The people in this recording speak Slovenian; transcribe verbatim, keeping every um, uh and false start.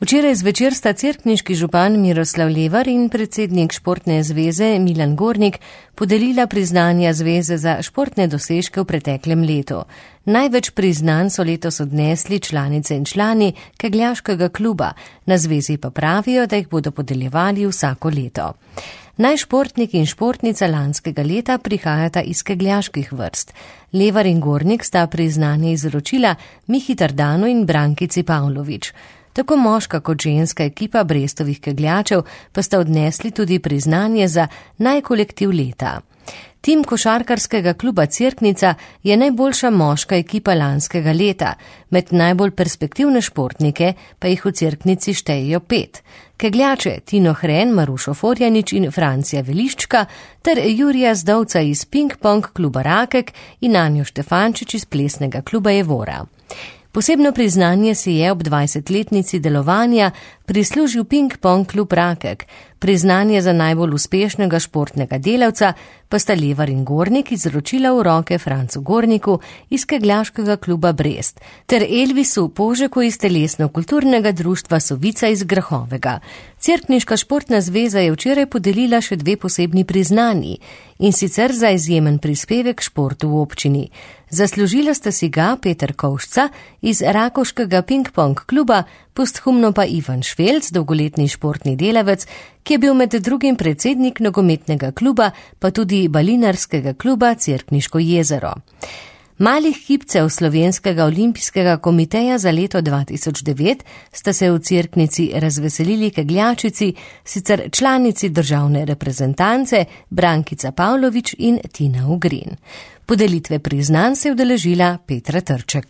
Včeraj zvečer sta cerkniški župan Miroslav Levar in predsednik Športne zveze Milan Gornik podelila priznanja zveze za športne dosežke v preteklem letu. Največ priznanj so letos odnesli članice in člani kegljaškega kluba, na zvezi pa pravijo, da jih bodo podeljevali vsako leto. Naj športnik in športnica lanskega leta prihajata iz kegljaških vrst. Levar in Gornik sta priznanje izročila Mihi Tardanu in Brankici Pavlović. Tako moška kot ženska ekipa Brestovih kegljačev pa sta odnesli tudi priznanje za najkolektiv leta. Tim košarkarskega kluba Cerknica je najboljša moška ekipa lanskega leta, med najbolj perspektivne športnike pa jih v Cerknici štejejo pet. Kegljače Tino Hren, Marušo Forjanič in Francija Veliščka ter Jurija Zdovca iz ping-pong kluba Rakek in Anjo Štefančič iz plesnega kluba Evora. Posebno priznanje si je ob dvajsetletnici delovanja prislužil ping-pong klub Rakek. Priznanje za najbolj uspešnega športnega delavca pa sta Levar in Gornik izročila v roke Francu Gorniku iz kegljaškega kluba Brest ter Elvisu Požeku iz telesno-kulturnega društva Sovica iz Grahovega. Cerkniška športna zveza je včeraj podelila še dve posebni priznanji, in sicer za izjemen prispevek športu v občini. Zaslužila sta si ga Peter Kovšca iz rakovškega ping-pong kluba, posthumno pa Ivan Švelc, dolgoletni športni delavec, ki je bil med drugim predsednik nogometnega kluba, pa tudi balinarskega kluba Cerkniško jezero. Malih kipcev Slovenskega olimpijskega komiteja za leto dva tisoč devet sta se v Cerknici razveselili kegljačici, sicer članici državne reprezentance Brankica Pavlović in Tina Ugrin. Podelitve priznanj se je udeležila Petra Trček.